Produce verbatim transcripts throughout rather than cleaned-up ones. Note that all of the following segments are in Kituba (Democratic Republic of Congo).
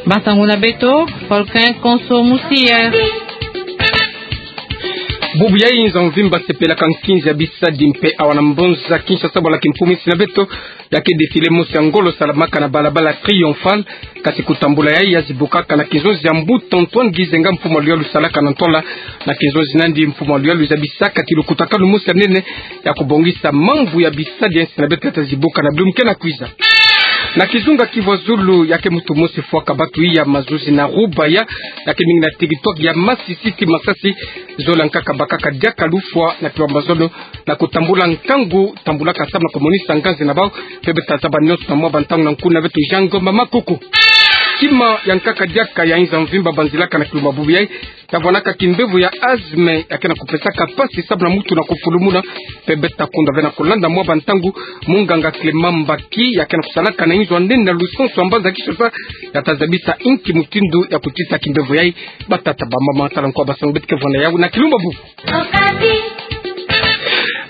Basangu na beto, Volcan Konso Musier. Bubu yayi nza mvimba sepelaka nkinzi ya bisadi mpe awa na mbonza Kinshasa bwala kimfumu insi na beto, ya ke défilé mosi ya ngolo salamaka na balabala Triomphal, kasi kutambula yayi ya zibukaka na kinzonzi ya mbuta Antoine Gizenga, mfumu ya luyalu salaka na ntwala na kinzonzi nandi mfumu ya luyalu zabisaka kilukutakanu mosi ya nene ya kubongisa mambu ya bisadi ya insi na beto ya ta zibuka na bilumbu ke na kwiza. Na kizunga Kivu ya Zulu, ya ke muntu mosi fwaka batu iya mazuzi na Rubaya, ya ke mingi na territoire ya Masisi ti Masasi, zola nkaka bakaka diaka lufwa na kiwamba zono na kutambula nkangu, tambulaka samu na kumonisa nganzi na bau, mpe beta zaba nionso na mwa bantangu na nkuna beto Jean Ngomba Makuku. Kima ya nkaka diaka ya nza mvimba banzilaka na kilumbu bubu yayi, ya vwanaka kimbevo ya asthme, ya ke na kupesaka mpasi samu na mutu na kufulumuna, mpe beta kunda ve na kulanda mwa bantangu, munganga Clément Mbaki, ya ke na kusalaka na inzo ya nene na lusansu ya mbanza Kinshasa, ya ta zabisa inki mutindu ya kutita kimbevo yayi. Batata, bamama, tala nkoa basangu beto ke vwanda yawu na kilumbu bubu.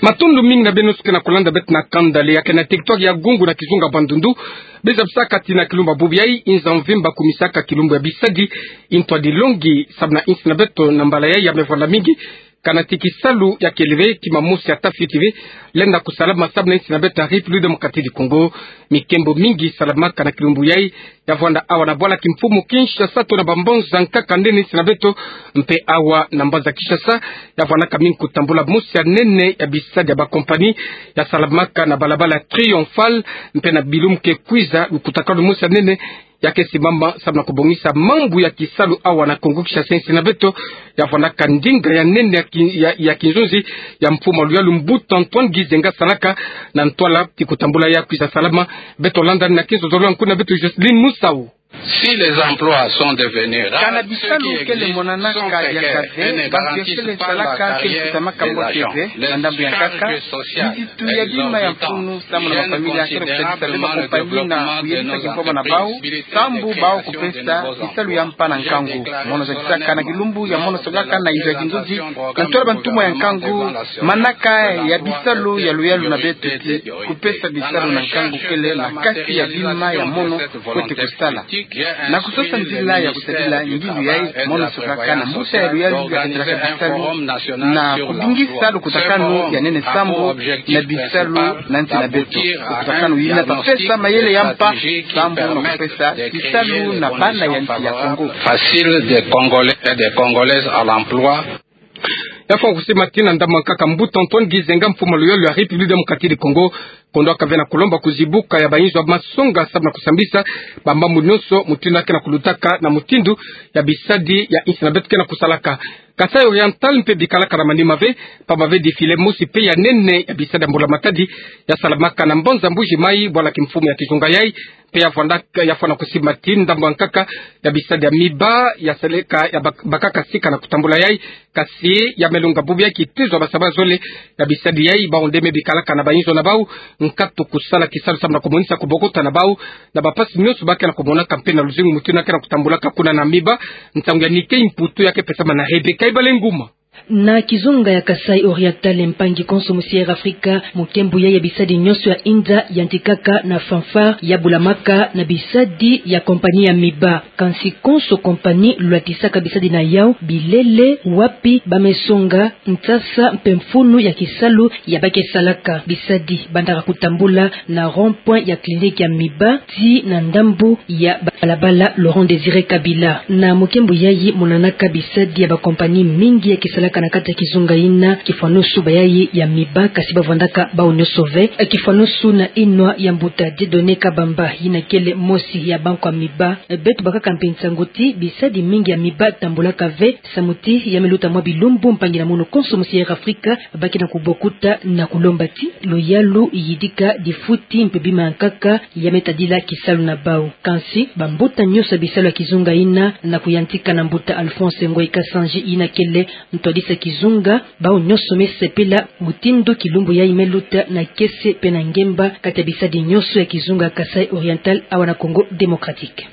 Matondo mingi na beno nionso ke na kulanda beto na kanda le ya ke na territoire ya Gungu na kizunga Bandundu. Be zabisaka ti na kilumbu bubu yayi, nza mvimba kumisaka kilumbu ya bisadi, ntwadi longi samu na insi na beto na mbala yayi ya me vwanda mingi. Kana ti kisalu ya kele ve, kima mosi ya ta fioti ve lenda kusalama samu na insi na beto ya République Démocratique du Congo. Mikembo mingi salamaka na kilumbu yayi, ya vwanda awa na bwala kimfumu Kinshasa to na bambonza nkaka nene insi na beto, mpe awa na mbanza Kinshasa, ya vwanaka mingi kutambula mosi ya nene ya bisadi ya bakompani ya salamaka na balabala Triomphal, mpe na bilumbu ke kwiza lukutakanu mosi ya nene ya ke simama samu na kubongisa mambu ya kisalu awa na Kongo Kinshasa insi na beto, ya vwanaka ndinga ya nene ya ki-, ya, ya kinzonzi ya mfumu ya luyalu mbuta Antoine Gizenga salaka na ntwala ti kutambula ya kwiza salama. Beto landa na kinzonzolo ya nkuna beto Jocelyne Musau. Si les emplois sont devenus rares, kana bisalu kele monanaka diaka ve, bantu ya kele salaka ke lukutamaka mbote ve. Na ndambu ya nkaka, mizitu ya bima ya mfunu samu na mafamilia ke na kusadisa ve bakompani na kuyebisa kimpoma na bau, sambu bau kupesa bisalu ya mpa na nkangu. Mono zakisaka na kilumbu ya mono songaka na inzo ya kinzonzi na ntwala bantumwa ya nkangu, manaka ya bisalu ya luyalu na beto ti kupesa bisalu na nkangu kele na kati ya bima ya mono fwete kusala. Na kusosa nzila ya kusadila ngindu yayi, mono songaka na mbuta ya luyalu ya ketelaka bisalu na kubingisa lukutakanu ya nene sambu na bisalu na nsi na beto. Lukutakanu yina ta pesa mayele ya mpa sambu na kupesa bisalu na bana ya nsi ya Kongo. Facile des Congolais et des Congolaises à l'emploi. Ya fwa kusimatina ndambu ya nkaka mbuta Antoine Gizenga, mfumu ya luyalu ya République Démocratique du Congo, kondwaka ve na kulomba kuzibuka ya bainzo ya masonga samu na kusambisa bamambu nionso mutindu ya ke na kulutaka na mutindu ya bisadi ya insi na beto ke na kusalaka. Kasaï Oriental mpe bikalaka na manima ve, pamba ve défilé mosi mpe ya nene ya bisadi ya mbula matadi ya salamaka na mbanza Mbuji Mayi, bwala kimfumu ya kizunga yayi, mpe ya vwandaka, ya fwana kusimatina ndambu ya nkaka ya bisadi ya miba ya seleka ya bak-, bakaka sika na kutambula yayi, kasi ya me longa bubu ya kitezo ya basaba zole ya bisadi yayi, bau nde me bikalaka na bainzo na bau nkatu kusala kisalu samu na kumonisa kubokota na bau na bampasi nionso ba ke na kumonaka mpe na luzingu mutindu ya ke na kutambulaka kuna na miba. Nsangu ya Nike Imputu ya ke pesama na Rebecca Ibalenguma. Na kizunga ya Kasaï Oriental, mpangi konso musi Air Africa, mukembu yayi ya bisadi nionso ya inda yantikaka na fanfare ya bulamaka na bisadi ya kompani ya miba. Kansi konso kompani lwatisaka bisadi na yau, bilele, wapi ba me songa, nsasa mpe mfunu ya kisalu ya ba ke salaka. Bisadi bandaka kutambula na rond-point ya clinique ya miba tii na ndambu ya balabala Laurent Désiré Kabila. Na mukembu yayi monanaka bisadi ya bakompani mingi ya ke salaka na kati ya kizunga yina, kifwanusu bayayi ya miba, kasi ba vwandaka bau nionso ve. Kifwanusu na yinwa ya mbuta Dieudonné Kabamba, yina kele mosi ya bankwa miba. Beto bakaka mpe nsangu ti bisadi mingi ya miba tambulaka ve, samu ti ya me luta mwa bilumbu mpangi na mono konso musi Air Africa ba ke na kubokota na kulomba ti luyalu yidika difuti mpe bima ya nkaka ya me tadila kisalu na bau. Kansi bambuta nionso ya bisalu ya kizunga yina, na kuyantika na mbuta Alphonse Ngoyi Kasanji, yina kele ntwadisi ya kizunga, bau nionso me sepela mutindu kilumbu yayi me luta na kiese mpe na ngemba kati ya bisadi nionso ya kizunga Kasaï Oriental awa na Congo Démocratique.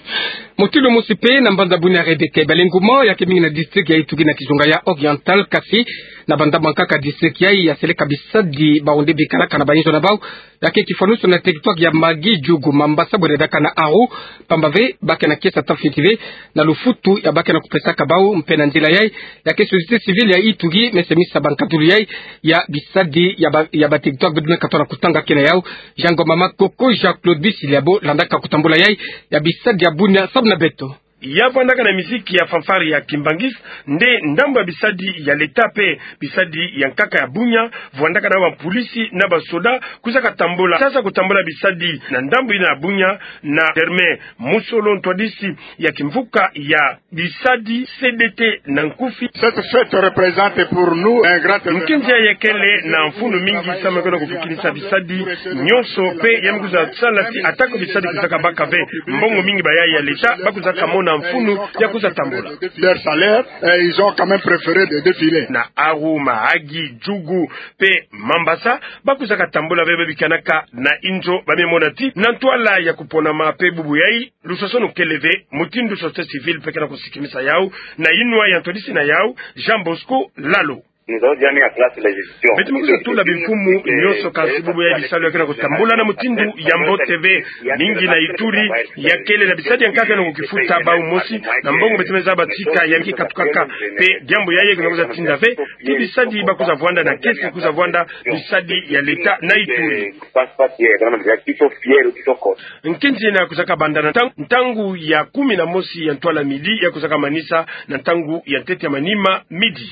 Mutindu mosi mpe na mbanza Bunia, Rebecca Ibalenguma, ya ke mingi na district ya Ituri na kizunga ya Oriental, kasi Na bandambu ankaka district yayi ya seleka bisadi bawu nde bikalaka na bainzo na bawu, ya ke kifwanusu na territoire ya Magi, Djugu, Mambasa, bwe na diaka na Aru, pamba ve ba ke na kiese ya tafiti ve na lufutu ya ba ke na kupesaka bawu, mpe na nzila yayi, ya ke société civile ya Ituri me semisa bankatulu yayi ya bisadi ya ba, ya ba territoire beto me katoa na kutanga kena yawu. Jean Ngoma Makoko, Jean Claude Bisiliabo landaka kutambula yayi ya bisadi ya Bunia samu na beto. Ya vwandaka na miziki ya fanfare ya Kimbanguiste, nde ndambu ya bisadi ya leta mpe bisadi ya nkaka ya Bunia, vwandaka na bampulisi na basoda, kwizaka tambula, sasa kutambula bisadi na ndambu yina ya Bunia, na Germain Musolo, ntwadisi ya kimvuka ya bisadi C D T na nkufi. Cette fête représente pour nous un grand événement. Nkinzi yayi kele na mfunu mingi samu na kwenda kuvukinisa bisadi nyonso, mpe ya me kwiza sala ti atako bisadi kwizaka baka ve mbongo mingi, bayayi ya leta ba kwizaka mona mfunu ya kwiza tambula. Leur salaire, et ils ont quand même préféré de défiler. Na Aru, Mahagi, Djugu mpe Mambasa, ba kwizaka tambula ve, ba bikanaka na inzo, ba me mona ti na ntwala ya kuponama mpe bubu yayi, lusasanu kele ve, mutindu société civile mpe ke na kusikimisa yawu, na yinwa ya ntwadisi na yawu, Jean Bosco Lalo. Nous avons déjà mis en place les institutions. Beto me kwiza tula bimfumu nyonso, kansi bubu yayi bisalu ya ke na kutambula na mutindu ya mbote ve. Mingi na Ituri ya kele na bisadi ya nkaka na kukifuta bawu mosi, na mbongo beto me zaba ti ka ya me kikatukaka. Mpe diambu yayi ke na kwiza tinda ve ti bisadi ba kwiza vwanda na kiese, kwiza vwanda bisadi ya leta na Ituri. Nkinzi yina kwizaka banda na ntangu, ntangu ya kumi na mosi ya ntwala midi, ya kwizaka manisa na ntangu ya ntete ya manima midi.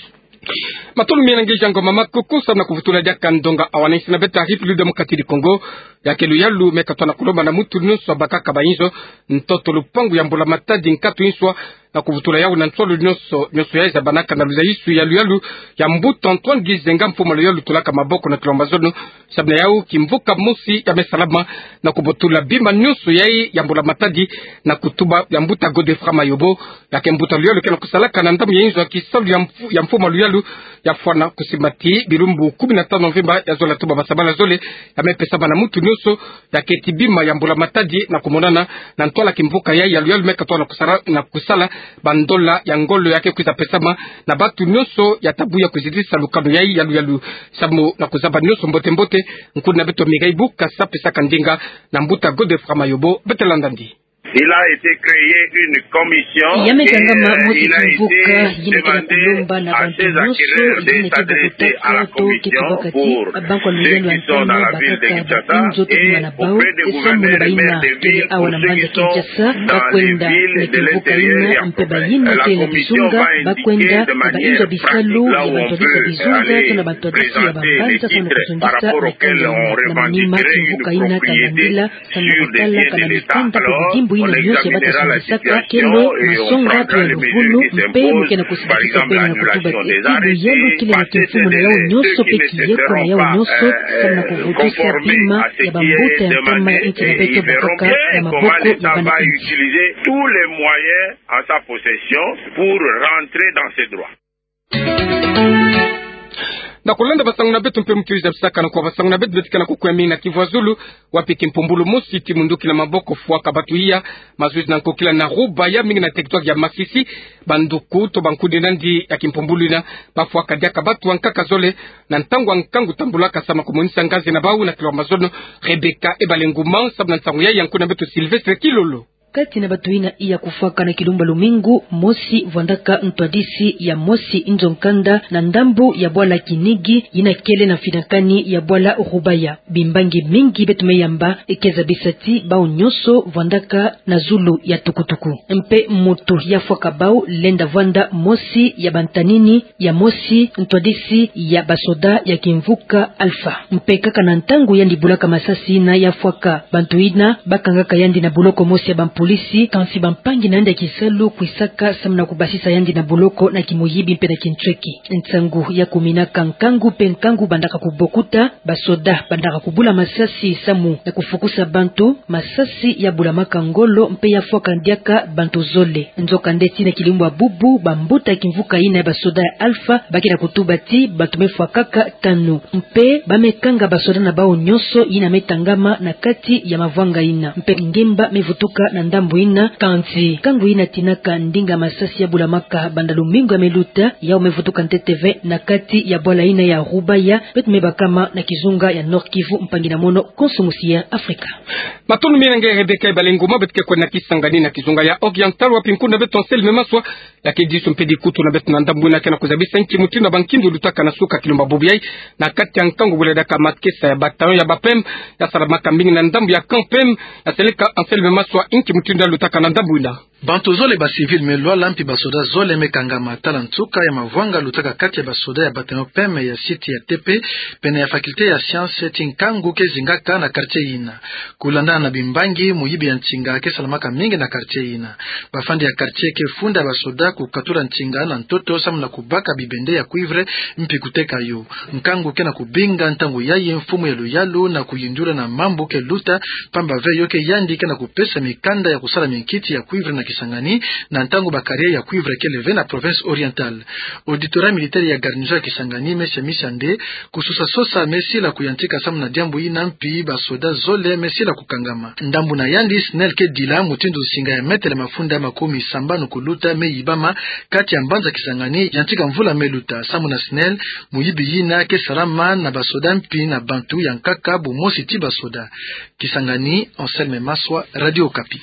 Matondo mingi na nge Jean Ngoma Makoko samu na kuvutula diaka ndonga awa na insi na beto ya République Démocratique du Congo. Ya ke luyalu me katoa na kulomba na mutu nyonso abakaka bainzo, ntoto, lupangu ya Mbula Matadi, nkatu, inswa, na kuvutula yawu na nsolo nyonso, nyonso yayi zabanaka na luzayisu ya luyalu ya mbuta Antoine Gizenga, mfumu a luyalu tulaka maboko na kilomba zono. Samu na yawu, kimvuka mosi ya me salama na kubotula bima nyonso yayi ya Mbula Matadi, na kutuba ya mbuta Godefroid Mayobo, ya ke mbuta luyalu ke na kusalaka na ndambu ya inzo ya kisalu ya mfu-, ya mfumu a luyalu, ya fwana kusimbati bilumbu kumi na tanu mvimba, ya zola tuba basabala zole ya me pesama na mutu nyonso, ya ke ti bima ya Mbula Matadi na kumonana na ntwala kimvuka yayi ya luyalu me katoa na kusala, na kusala bandola ya ngolo ya ke kwiza pesama na bantu nyonso ya tabu ya kuzitisa lukanu yayi ya luyalu. Samu na kuzaba nyonso mbote mbote, nkundi na beto Mireille Bukasa apesaka ndinga na mbuta Godefroid Mayobo. Beto landa ndi. Il a été créé une commission. Ya me kangama mosi kimvuka yina ke na kulomba na bantu nyonso yina ke bokotaka to ke tubaka ti bankwa luyalu ya ntama bakaka bainzo tokuma na bawu, samu na bayina kele awa na mbanza Kinshasa, ba kwenda na kimvuka yina, mpe bayina kele na kizunga ba kwenda na bainzo ya bisalu ya bantu ya kizunga, to na bantu ya bisi ya bambanza, samu na kuzungisa na kala na manima kimvuka yina ka landila, samu na kutala kana mikanda mpe bidimbu yina nyonso ya bata zungisaka kele masonga mpe ya luvunu, mpe mu ke na kusimbakisa kwenda na kutuba ti ti luyalu kele na kimfumu na yawu nyonso mpe kiyeko na yawu nyonso, samu na kuvutisa bima ya bambuta ya ntama ya insi na beto bakaka na maboko ya bana insi. Tous les moyens en sa possession pour rentrer dans ses droits. Na kulanda basangu na beto mpe mutu wiza bisaka na kwa basangu na beto, beto ke na kukwea mingi na Kivu ya Zulu, wapi kimpumbulu mosi ti munduki na maboko fwaka bantu iya mazuzi na nkokila na Rubaya, mingi na territoire ya Masisi. Banduku to bankundi nandi ya kimpumbulu yina bafwaka diaka bantu ankaka zole na ntangu ya nkangu tambulaka samu na kumonisa ngazi na bawu na kilomba zono. Rebecca Ebalenguma samu na nsangu yayi ya nkundi na beto Sylvestre Kilolo. Kati na bantu yina iya kufwaka na kilumbu ya lumingu mosi vwandaka ntwadisi ya mosi nzo nkanda na ndambu ya bwala Kinigi yina kele na mfinakani ya bwala Rubaya. Bimbangi mingi beto me yamba ke zabisa ti bawu nyonso vwandaka na zulu ya tukutuku. Mpe mutu ya fwaka bawu lenda vwanda mosi ya bantanini ya mosi ntwadisi ya basoda ya kimvuka Alpha. Mpe kaka na ntangu yandi bulaka masasi yina ya fwaka bantu yina, bakangaka yandi na boloko mosi ya bampolisi, kansi bampangi na yandi ya kisalu kwisaka samu na kubasisa yandi na boloko na kimuyibi mpe na kintweki. Nsangu ya kuminaka nkangu mpe nkangu bandaka kubokuta, basoda bandaka kubula masasi samu na kufukusa bantu, masasi ya bulamaka ngolo mpe ya fwaka diaka bantu zole. Nzokande tii na kilumbu ya bubu, bambuta ya kimvuka yina ya basoda ya Alpha ba ke na kutuba ti bantu me fwakaka tanu. Mpe ba me kanga basoda na bawu nyonso yina me tangama na kati ya mavwanga yina. Mpe ngemba me vutuka na Ndambu ina, kansi nkangu ina tinaka ndinga masasi ya bulamaka banda lumingu ya meluta, yau mevutuka ntete ve na kati ya bwala ina ya Rubaya, beto mebakama na kizunga ya Nord-Kivu, mpangi na mono konso musi ya Afrika. Matondo mingi na nge Rebecca Ibalengoma. Beto ke kwenda Kisangani na kizunga ya Oriental, wapi nkuna beto Anselme Maswa, ya ke diso mpe dikutu na beto na ndambu ina ke na kuzabisa nki mutindu ya bankindu lutaka na suka kilumba bubu yai, na kati ya nkangu bwela diaka makesa ya bataillon ya ba P M, ya salamaka mingi na ndambu ya camp P M, ya seleka Anselme Maswa, nki mutindu ya lutaka na ndambu ina. Bantu zole ba civil me lwala mpi ba soda zole me kangama tala nsuka ya mavwanga lutaka kati ya ba soda ya bataillon P M ya site ya T P, pene ya faculté ya science, ti nkangu ke zingaka na quartier ina. Kulandana na bimbangi, muyibi ya nsinga ke salamaka mingi na quartier ina. Bafandi ya quartier ke funda ba soda kukatula nsinga na ntoto samu na kubaka bibende ya cuivre mpi kuteka yo. Nkangu ke na kubinga ntangu yayi mfumu ya luyalu na kuyindula na mambu ke luta, pamba ve yo ke yandi ke na kupesa mikanda ya kusala minkiti ya cuivre na Kisangani, na ntangu ba carrière ya cuivre kele ve na province orientale. Auditorat militaire ya garnison ya Kisangani me semisa nde kusosa-sosa me sila kuyantika samu na diambu ina mpi ba soda zole me sila kukangama. Ndambu na yandi, SNEL ke dila mutindu nsinga ya metele mafunda makumi sambanu kuluta me yibama kati ya mbanza Kisangani, yantika mvula me luta. Samu na SNEL, muyibi ina ke salama na ba soda mpi na bantu ya nkaka bumosi ti ba soda. Kisangani, Anselme Maswa, Radio Okapi.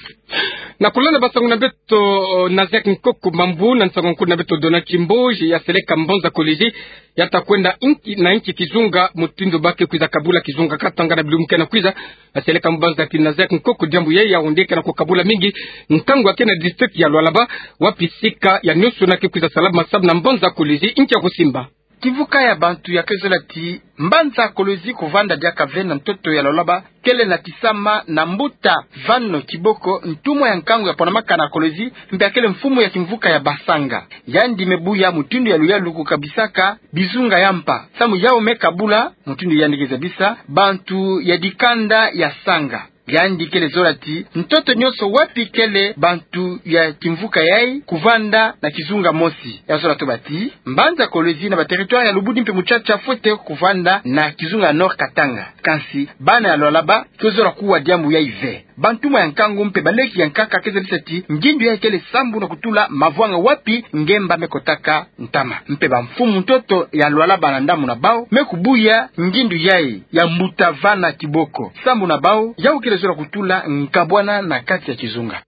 Na kulanda ba nsangu na beto, o, Nazaire Nkoko Mambu, na nsangu nkuna beto Donald Kimboji, ya seleka mbanza Kolwezi, ya ta kwenda inki na inki kizunga mutindu ba ke kwiza kabula kizunga Katanga na bilumbu ke na kwiza. Ya seleka mbanza ti Nazaire Nkoko, diambu yayi ya onde ke na kukabula mingi nkangu ya ke na district ya Lualaba, wapi sika ya nioso na ke kwiza salama samu na mbanza Kolwezi, inki ya kusimba. Kimvuka ya bantu ya ke zola ti mbanza Kolwezi kuvanda diaka ve na ntoto ya Lualaba, kele na kisama na mbuta Van Kiboko, ntumwa ya nkangu ya ponamaka na Kolwezi, mpe ya kele mfumu ya kimvuka ya Basanga. Yandi me buya mutindu ya luyalu kukabisaka bizunga ya mpa. Samu yau me kabula, mutindu yandi ke zabisa, bantu ya dikanda ya Sanga. Yandi kele zola ti ntoto nioso wapi kele bantu ya kimvuka yayi kuvanda na kizunga mosi. Ya zola toba ti mbanza Kolwezi na ba territoire ya Lubudi mpe Mutsatsa fwete kuvanda na kizunga Nord Katanga. Kansi bana ya Lualaba ke zola kuwa diambu yayi ve. Bantumwa ya nkangu mpe baleki ya nkaka ke zabisa ti ngindu yayi kele sambu na kutula mavwanga wapi ngemba me kotaka ntama. Mpe bamfumu ntoto ya Lualaba na ndambu na bau me kubuya ngindu yayi ya mbuta Van Kiboko. Sambu na bau, yau kele zola kutula nkabwana na kati ya kizunga.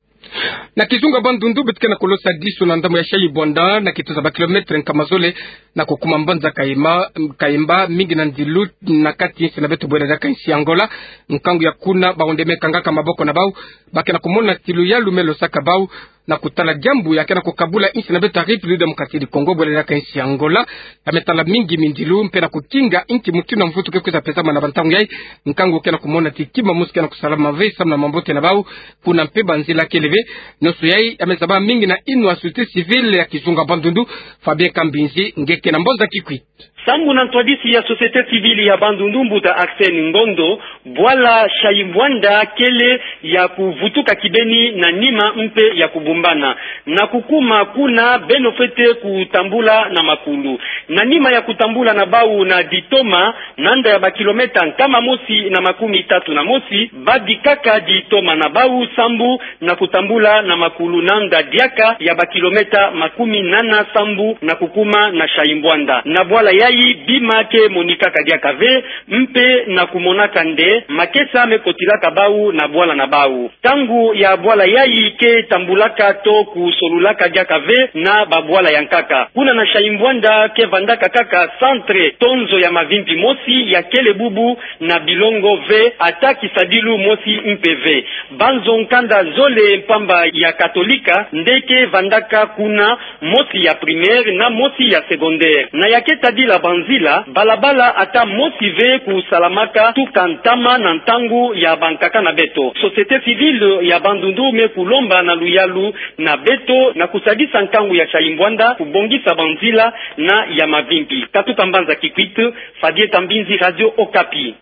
Na kizunga Bandundu, beto ke na kulosa diso na ndambu ya Shayibwanda, na kituza ba kilomètre nkama zole na kukuma mbanza Kayemba, Kayemba, mingi na ndilu na kati insi na beto bwela diaka insi Angola. Nkangu ya kuna, baonde me kangaka maboko na bau, ba ke na kumona ti luyalu me losaka bau na kutala diambu ya ke na kukabula insi na beto ya République Démocratique du Congo bwela diaka insi Angola. Ya me tala mingi mindilu mpe na kukinga inki mutindu ya mvutu ke kwiza pesama na bantangu yayi. Nkangu ke na kumona ti kima mosi ke na kusalama ve samu na mambote na bau, kuna mpe banzila kele ve. Nioso yayi ya me zaba mingi na yinwa ya société civile ya kizunga Bandundu, Fabien Kambinzi, nge ke na mbanza Kikwit. Sambu na ntwadisi ya société civile ya Bandundu, mbuta Arsène Ngondo, bwala Shayibwanda kele ya kuvutuka kibeni na nima mpe ya kubumbana. Na kukuma kuna, beno fwete kutambula na makulu. Na nima ya kutambula na bau na ditoma, nanda ya ba kilomètre nkama mosi na makumi tatu na mosi, babikaka ditoma na bau sambu na kutambula na makulu nanda diaka ya ba kilomètre makumi nana sambu na kukuma na Shayibwanda. Na bwala yayi bima ke monikaka diaka ve, mpe na kumonaka nde makesa me kotilaka bau na bwala na bau. Ntangu ya bwala yayi ke tambulaka to kusolulaka diaka ve na babwala ya nkaka. Kuna na Shayibwanda ke vandaka kaka centre tonzo ya mavimpi mosi ya kele bubu na bilongo ve, ata kisadilu mosi mpe ve. Banzo nkanda zole mpamba ya Katolika nde ke vandaka kuna, mosi ya primaire na mosi ya secondaire. Na ya ke tadila banzila, balabala ata mosi ve kusalamaka tuka ntama na ntangu ya bankaka na beto. Société civile ya Bandundu me kulomba na luyalu na beto na kusadisa nkangu ya Shayibwanda kubongisa banzila na ya mavimpi. Katuka mbanza Kikwit, Fabien Kambinzi, Radio Okapi.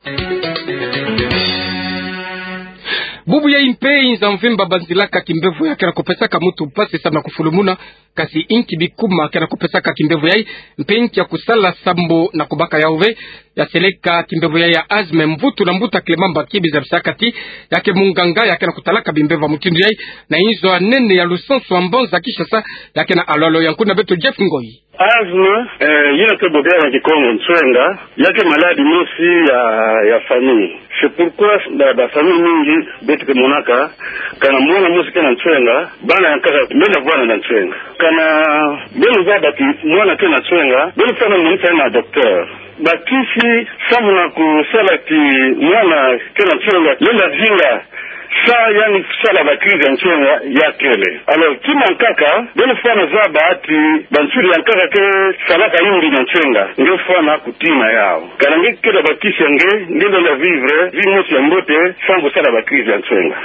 Bubu yayi mpe inza mvimba banzilaka kimbevo ya ke na kupesaka muntu mpasi samu na kufulumuna, kasi inki bikuma ke na kupesaka kimbevo yayi, mpe inki ya kusala sambu na kubaka yau ve. ya seleka kimbemvo ya, ya asthme, mvutu na mbuta Clément Mbaki bizabisaka ti ya ke munganga ya ke na kutalaka bimbemvo ya mutindu yayi na inzo ya nene ya lusansu ya mbanza Kinshasa, ya ke na alolo ya nkuna beto Jeff Ngoyi. Asthme, eh, yina ke bobia na Kikongo nswenga, ya ke maladie mosi ya, ya famille. C'est pourquoi ba, ba famille mingi beto ke monaka, kana mwana mosi ke na nswenga, bana ya nkaka bena vwanda na nswenga. Kana beno zaba ti mwana ke na nswenga, beno fwana monisa na docteur. Bakisi samu na kusala ti mwana ke na nswenga lenda zinga, sa yandi sala ba crise ya nswenga ya kele. Alors, kima nkaka, beno fwana zaba ti bansuri ya nkaka ke salaka yimbi na nswenga, nge fwana kutina yau. Kana nge kele bakisi ya nge, nge lenda vivre vie mosi ya mbote, sans kusala ba crise ya nswenga.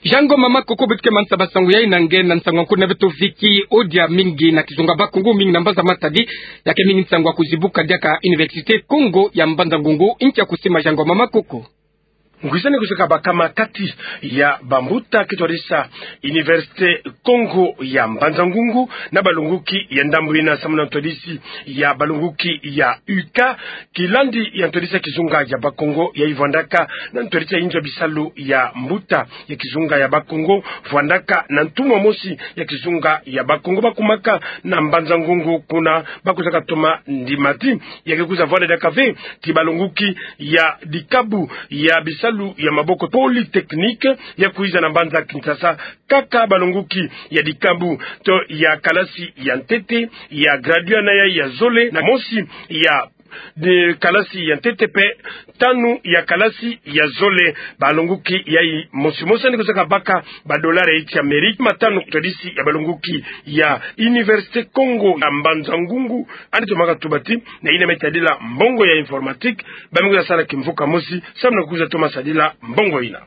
Jean Ngoma Makoko, beto ke manisa basango yayi na nge na nsangu ya nkuna beto Vicky Odia, mingi na kizunga Bakongo, mingi na mbanza Matadi, ya ke mingi nsangu ya kuzibuka diaka Université Kongo ya Mbanza Ngungu. Nkia kusima, Jean Ngoma Makoko? Ngwisani kuseka bakama kati ya bambuta ke twadisa Université Kongo ya Mbanza Ngungu na balongoki ya ndambu yina samu na ntwadisi ya balongoki ya U K, kilandi ya ntwadisi ya kizunga ya Bakongo yayi vwandaka na ntwadisi ya inzo ya bisalu ya mbuta ya kizunga ya Bakongo, vwandaka na ntumwa mosi ya kizunga ya Bakongo. Bakumaka na Mbanza Ngungu kuna, bakwizaka toma ndima ti ya ke kwiza vwanda diaka ve ti balongoki ya dikabu ya bisalu ya maboko, polytechnique, ya kwiza na mbanza Kinshasa. Kaka balongoki ya dikabu to ya kalasi ya ntete, ya graduat na yayi ya zole, na mosi ya de kalasi ya ntete pe tanu ya kalasi ya zole. Balongoki yayi mosi mosi yandi kusaka baka badolari ya insi ya Amerika matanu. Ntwadisi ya balongoki ya Université Kongo ya Mbanza Ngungu, yandi tomaka tuba ti na yina me tadila mbongo ya informatique, ba me kwiza sala kimvuka mosi samu na kwiza toma sadila mbongo yina.